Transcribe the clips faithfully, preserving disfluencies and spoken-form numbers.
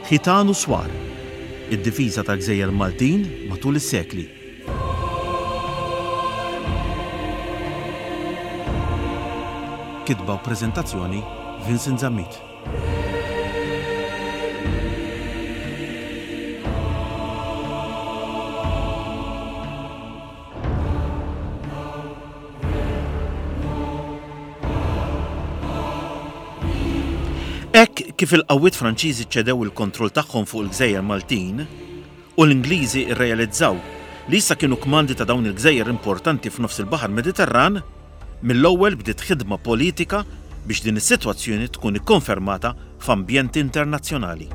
Ħitan u Swar, id-difiża tal-Gżejjer Maltin matul is-sekli. Kitba u preżentazzjoni Vincent Zammit. Hekk kif il-qawwiet Franċiżi ċedew il-kontroll tagħhom fuq il-Gżejjer Maltin u l-Ingliżi rrealizzaw li issa kienu kmandi ta' dawn il-gżejjer importanti f'nofs il-Baħar Mediterran, mill-ewwel bdiet ħidma politika biex din is-sitwazzjoni tkun ikkonfermata f'ambjenti internazzjonali.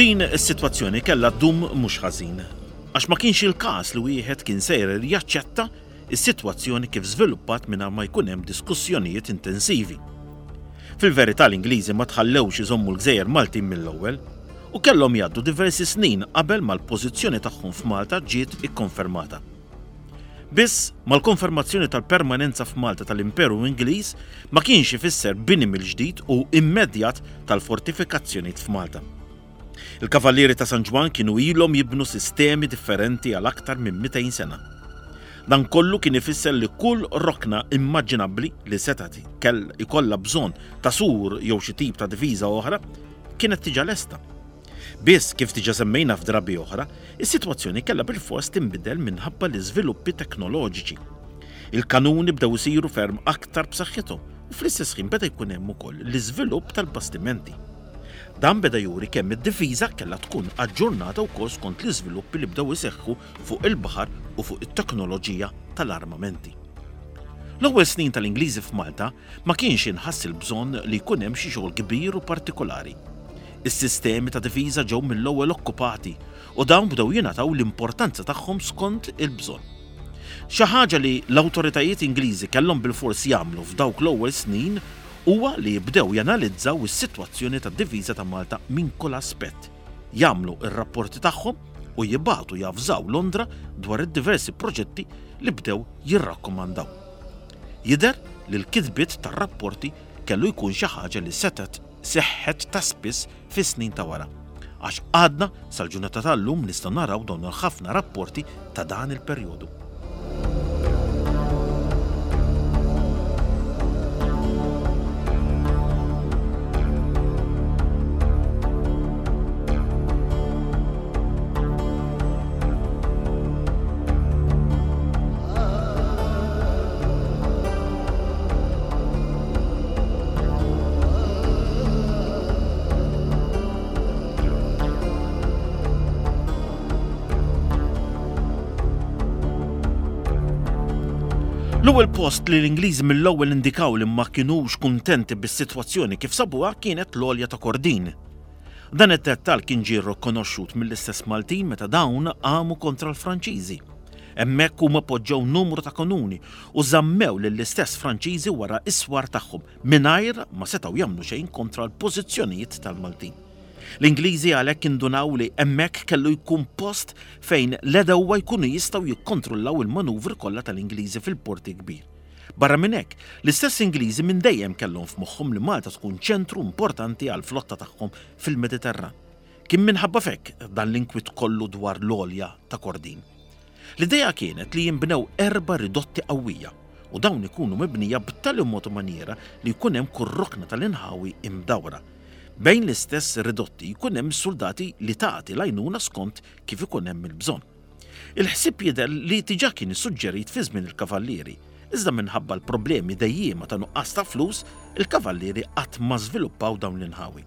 Din is-sitwazzjoni kellha ddum mhux ħażin, għax ma kienx il-każ li wieħed kien sejjer jaċċetta s-sitwazzjoni kif żviluppat mingħajr ma jkun hemm diskussjonijiet intensivi. Fil-verità l-Ingliżi ma tħallewx iżommu l-Gżejjer Maltin mill-ewwel u kellhom jgħaddu diversi snin qabel ma l-pożizzjoni tagħhom f'Malta ġiet ikkonfermata. Biss, mal-konfermazzjoni tal-permanenza f'Malta tal-Imperu Ingliż ma kienx ifisser bini mill-ġdid u immedjat tal-fortifikazzjonijiet f'Malta. Il-Kavallieri ta' San Ġwann kienu ilhom jibnu sistemi differenti għal aktar minn mitejn sena. Dan kollu kien ifisser li kull rokna immaġinabbli li setgħet kell ikollha bżonn ta' sur jew xi tip ta' difiża oħra kienet diġà lesta. Biss, kif diġà semmejna f'drabi oħra, is-sitwazzjoni kellha bilfors tinbidel minħabba l-iżviluppi teknoloġiċi. Il-kanuni bdew isiru ferm aktar b'saħħithom u fl-istess ħin beda jkun hemm ukoll l-iżvilupp tal-bastimenti. Dan beda juri kemm id-difiża kellha tkun aġġornata wkoll skont l-iżviluppi li bdew iseħħu fuq il-baħar u fuq it-teknoloġija tal-armamenti. L-ewwel snin tal-Ingliżi f'Malta ma kienx inħass il-bżonn li jkun hemm xi xogħol kbir u partikolari. Is-sistemi ta' difiża ġew mill-ewwel okkupati u dawn bdew jingħataw l-importanza tagħhom skont il-bżonn. Xi ħaġa li l-awtoritajiet Ingliżi kellhom bilfors jagħmlu f'dawk l-ewwel snin huwa li jibdew janalizzaw is-sitwazzjoni tad-difiża ta' Malta minn kull aspett, jagħmlu r-rapporti tagħhom u jibagħtu javżaw Londra dwar id-diversi proġetti li bdew jirrakkomandaw. Jidher li l-kitbiet tar-rapporti kellu jkun xi ħaġa li setgħet seħħet ta' spiss fis-snin ta' wara, għax għadna sal-ġurnata tal-lum nistgħu naraw dawn il-ħafna rapporti ta' dan il-perjodu. L-ewwel post li l-Ingliżi mill-ewwel indikaw li ma kinux kuntenti bis-sitwazzjoni kif sabuha kienet l-għolja ta' Kordin. Dan id-dettall kien ġie rikonoxxut mill-istess Maltin meta dawn qamu kontra l-Franċiżi. Hemmhekk huma poġġew numru ta' kanuni u żammew lill-istess Franċiżi wara s-swar tagħhom mingħajr ma setgħu jagħmlu xejn kontra l-pożizzjonijiet tal-Maltin. L-Ingliżi għalhekk indunaw li hemmhekk kellu jkun post fejn l-għedewwa jkunu jistgħu jikkontrollaw il-manuvri kollha tal-Ingliżi fil-Porti Kbir. Barra minn hekk, l-istess Ingliżi minn dejjem kellhom f'moħħhom li Malta tkun ċentru importanti għall-flotta tagħhom fil-Mediterran. Kien minħabba f'hekk dan l-inkwiet kollu dwar l-għolja ta' Kordin. L-idea kienet li jinbnew erba' ridotti qawwija u dawn ikunu mibnija b'tali mod u maniera li jkun hemm kull rokna tal-inħawi imdawra. Bejn l-istess ridotti jkun hemm soldati li tagħti l-għajnuna skont kif ikun hemm il-bżonn. Il-ħsieb jidher li diġà kien issuġġerit fi żmien il-Kavallieri, iżda minħabba l-problemi dejjiema ta' nuqqas ta' flus, il-Kavallieri qatt ma żviluppaw dawn l-inħawi.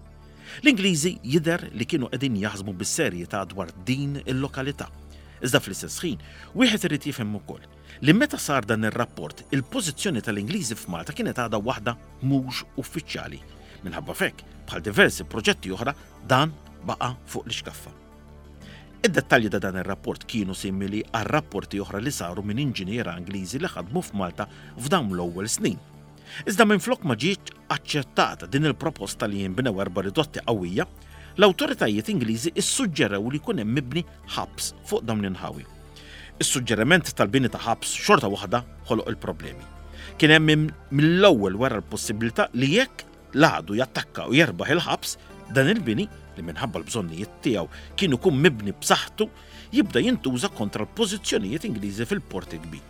L-Ingliżi jidher li kienu qegħdin jaħsbu bis-serjetà dwar din il-lokalità. Iżda fl-istess ħin, wieħed irid jifhem ukoll li meta sar dan ir-rapport, il-pożizzjoni tal-Ingliżi f'Malta kienet għadha waħda mhux uffiċjali. Minħabba f'hekk, bħal diversi proġetti oħra, dan baqa' fuq l-ixkaffa. Id-dettalji ta' dan ir-rapport kienu simili għal rapporti oħra li saru minn inġiniera Ingliżi li ħadmu f'Malta f'dawn l-ewwel snin. Iżda minflok ma ġietx aċċettata din il-proposta li jinbnew erba' ridotti qawwija, l-awtoritajiet Ingliżi ssuġġerew li jkun hemm mibni ħabs fuq dawn l-inħawi. Is-suġġeriment tal-bini ta' ħabs xorta waħda ħoloq il-problemi. Kien hemm mill-ewwel wara l-possibilità li jekk l-għadu jattakka u jerbaħ il-ħabs, dan il-bini, li minħabba l-bżonnijiet tiegħu kien ikun mibni b'saħħtu, jibda jintuża kontra l-pożizzjonijiet Ingliżi fil-Port il-Kbir.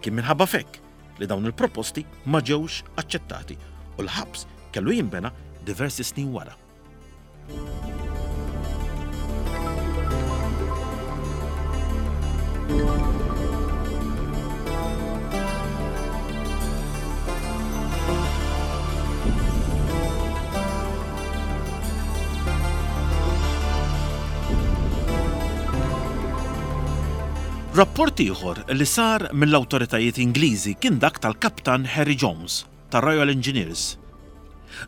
Kien minħabba f'hekk li dawn il-proposti ma ġewx aċċettati u l-ħabs kellu jinbena diversi snin wara. Rapport ieħor li sar mill-awtoritajiet Ingliżi kien dak tal-Kaptan Harry Jones tar-Royal Engineers.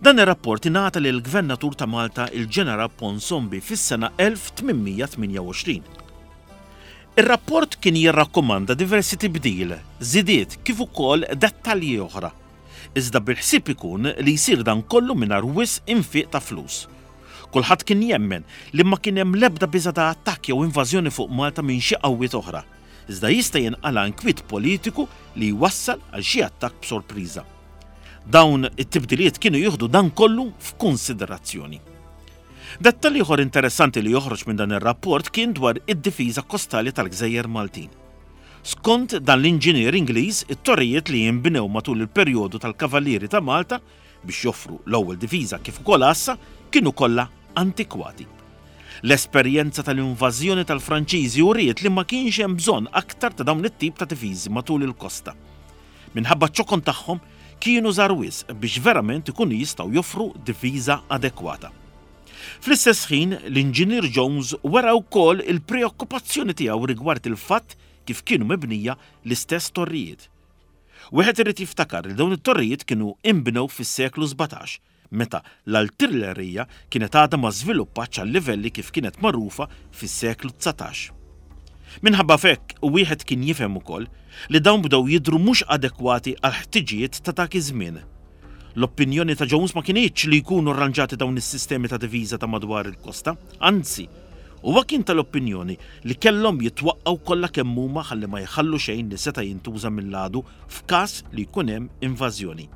Dan ir-rapport ingħata lill-Gvernatur ta' Malta il-Ġeneral Ponsonby fis-sena elf tmien mija tmienja u għoxrin. Ir-rapport kien jirrakkomanda diversi tibdil, żidiet kif ukoll dettalji oħra, iżda bil-ħsieb ikun li jsir dan kollu mingħajr wisq infiq ta' flus. Kulħadd kien jemmen li ma kien hemm l-ebda biża' ta' attakk jew invażjoni fuq Malta minn xi qawwiet oħra, iżda jista' jinqala' inkwiet politiku li jwassal għal xi attakk b'sorpriża. Dawn it-tibdiliet kienu jieħdu dan kollu f'kunsiderazzjoni. Dettall ieħor interessanti li joħroġ minn dan ir-rapport kien dwar id-difiża kostali tal-gżejjer Maltin. Skont dan l-inġinier Ingliż, it-torrijiet li jinbnew matul il-perjodu tal-Kavallieri ta' Malta biex joffru l-ewwel difiża kif ukoll għassa kienu kollha antikwati. L-esperjenza tal-invażjoni tal-Franċiżi uriet li ma kienx hemm bżonn aktar ta' dawn it-tip ta' difiżi matul il-kosta. Minħabba ċ-ċokon tagħhom kienu żgħar wisq biex verament ikunu jistgħu joffru difiża adekwata. Fl-istess ħin, l-Inġinier Jones wera wkoll il-preokkupazzjoni tiegħu rigward il-fatt kif kienu mibnija l-istess torrijiet. Wieħed irid jiftakar li dawn it-torrijiet kienu inbnew fis-seklu sbatax, meta l-artillerija kienet għadha ma żviluppatx għal livelli kif kienet magħrufa fis-seklu dsatax. Minħabba f'hekk, wieħed kien jifhem ukoll li dawn bdew jidhru mhux adekwati għal ħtiġijiet ta' dak iż-żmien. L-opinjoni ta' Jones ma kinitx li jkunu arranġati dawn is-sistemi ta' diviża ta' madwar il-kosta, anzi, huwa kien tal-opinjoni li kellhom jitwaqqgħu kollha kemm huma ħalli ma jħallu xejn li seta' jintuża mill-għadu f'każ li jkun hemm invażjoni.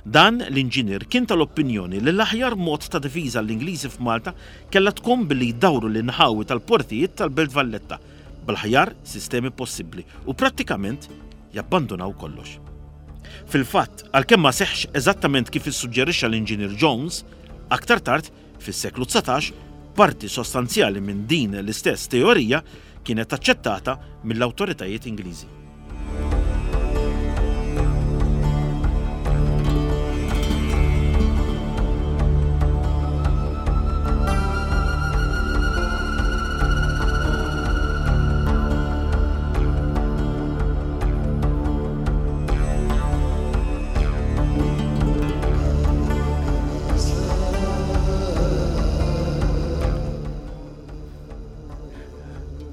Dan l-inġinier kien tal-opinjoni li l-aħjar mod ta' diviża l-Ingliżi f'Malta kellha tkun billi jdawru l-inħawi tal-portijiet tal-Belt Valletta bl-aħjar sistemi possibbli u prattikament jabbandunaw kollox. Fil-fatt, għalkemm ma seħħx eżattament kif issuġġerixxa l-Inġinier Jones, aktar tard, fis-seklu dsatax, parti sostanzjali minn din l-istess teorija kienet aċċettata mill-awtoritajiet Ingliżi.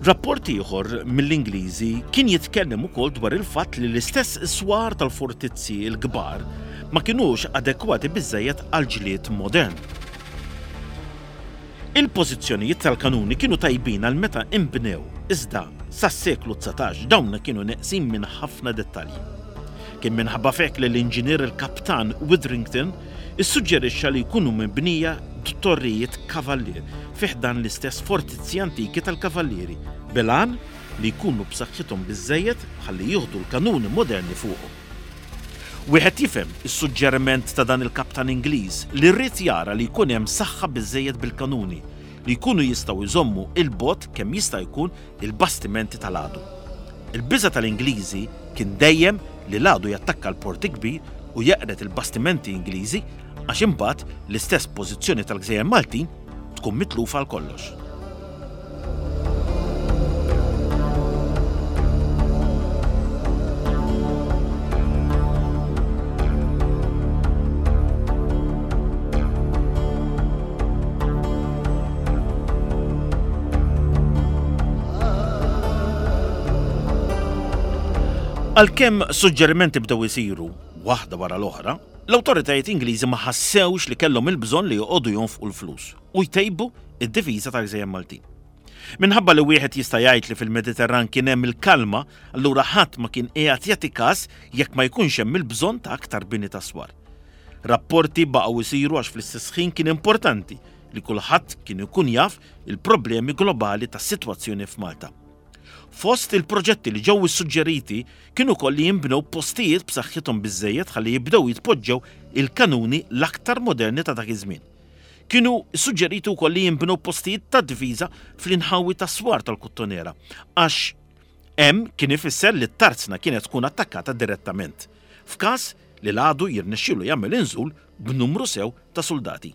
Rapport ieħor mill-Ingliżi kien jitkellem ukoll dwar il-fatt li l-istess swar tal-fortizzi l-kbar ma kinux adekwati biżżejjed għal ġlied modern. Il-pożizzjonijiet tal-kanuni kienu tajbin għal meta inbnew, iżda sas-seklu dsatax dawn kienu neqsin minn ħafna dettalji. Kien minħabba f'hekk li l-inġinier il-Kaptan Widdrington issuġġerixxa li jkunu mibnija torrijiet kavallier fi ħdan l-istess fortizzi antiki tal-kavallieri, bil-għan li jkunu b'saħħithom biżżejjed ħalli jieħdu l-kanuni moderni fuqhom. Wieħed jifhem is-suġġeriment ta' dan il-kaptan Ingliż li rrid jara li jkun hemm saħħa biżżejjed bil-kanuni li jkunu jistgħu jżommu il-bogħod kemm jista' jkun il-bastimenti tal-għadu. Il-biża' tal-Ingliżi kien dejjem li l-għadu jattakka l-port kbir u jeqred il-bastimenti Ingliżi għax imbagħad l-istess pożizzjoni tal-Gżejjer Maltin tkun mitlufa għal kollox. Għalkemm suġġerimenti bdew isiru waħda wara l-oħra, l-awtoritajiet Ingliżi ma ħassewx li kellhom il-bżonn li joqogħdu jonfqu l-flus u jtejbu id-difiża tal-Gżejjer Maltin. Minħabba li wieħed jista' jgħid li fil-Mediterran kien hemm il-kalma, allura ħadd ma kien qiegħed jagħti każ jekk ma jkunx hemm il-bżonn ta' aktar bini ta' swar. Rapporti baqgħu jsiru għax fl-istess ħin kien importanti li kulħadd kien ikun jaf il-problemi globali tas-sitwazzjoni f'Malta. Fost il-proġetti li ġew issuġġeriti kienu ukoll li jinbnew postijiet b'saħħithom biżżejjed ħalli jibdew jitpoġġew il-kanuni l-aktar moderni ta' dak iż-żmien. Kienu suġġeriti wkoll li jinbnew postijiet ta' difiża fl-inħawi tas-swar tal-Kottonera, għax hemm kien ifisser li t-tarzna kienet tkun attakkata direttament, f'każ li l-għadu jirnexxielu jagħmel inżul b'numru sew ta' suldati.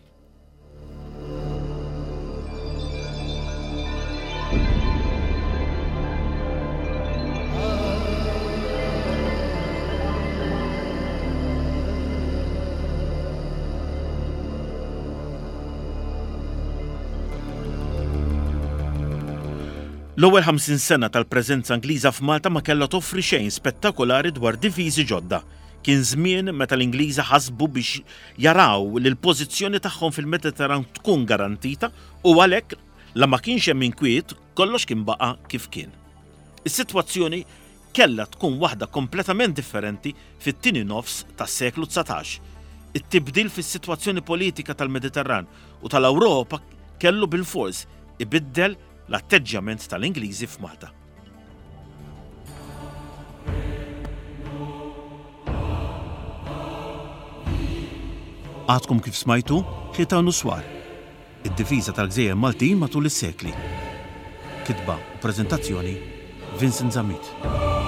L-ewwel ħamsin sena tal-preżenza Ingliża f'Malta ma kellha toffri xejn spettakolari dwar difiżi ġodda. Kien żmien meta l-Ingliżi ħasbu biex jaraw li l-pożizzjoni tagħhom fil-Mediterran tkun garantita u għalhekk la ma kienx hemm inkwiet kollox kien baqa' kif kien. Is-sitwazzjoni kellha tkun waħda kompletament differenti fit-tieni nofs tas-seklu dsatax. It-tibdil fis-sitwazzjoni politika tal-Mediterran u tal-Ewropa kellu bilfors ibiddel l-atteġġjament tal-Ingliżi f'Malta. Għadkom kif smajtu Ħitan u Swar, id-difiża tal-Gżejjer Maltin matul is-sekli. Kitba u preżentazzjoni Vincent Zammit.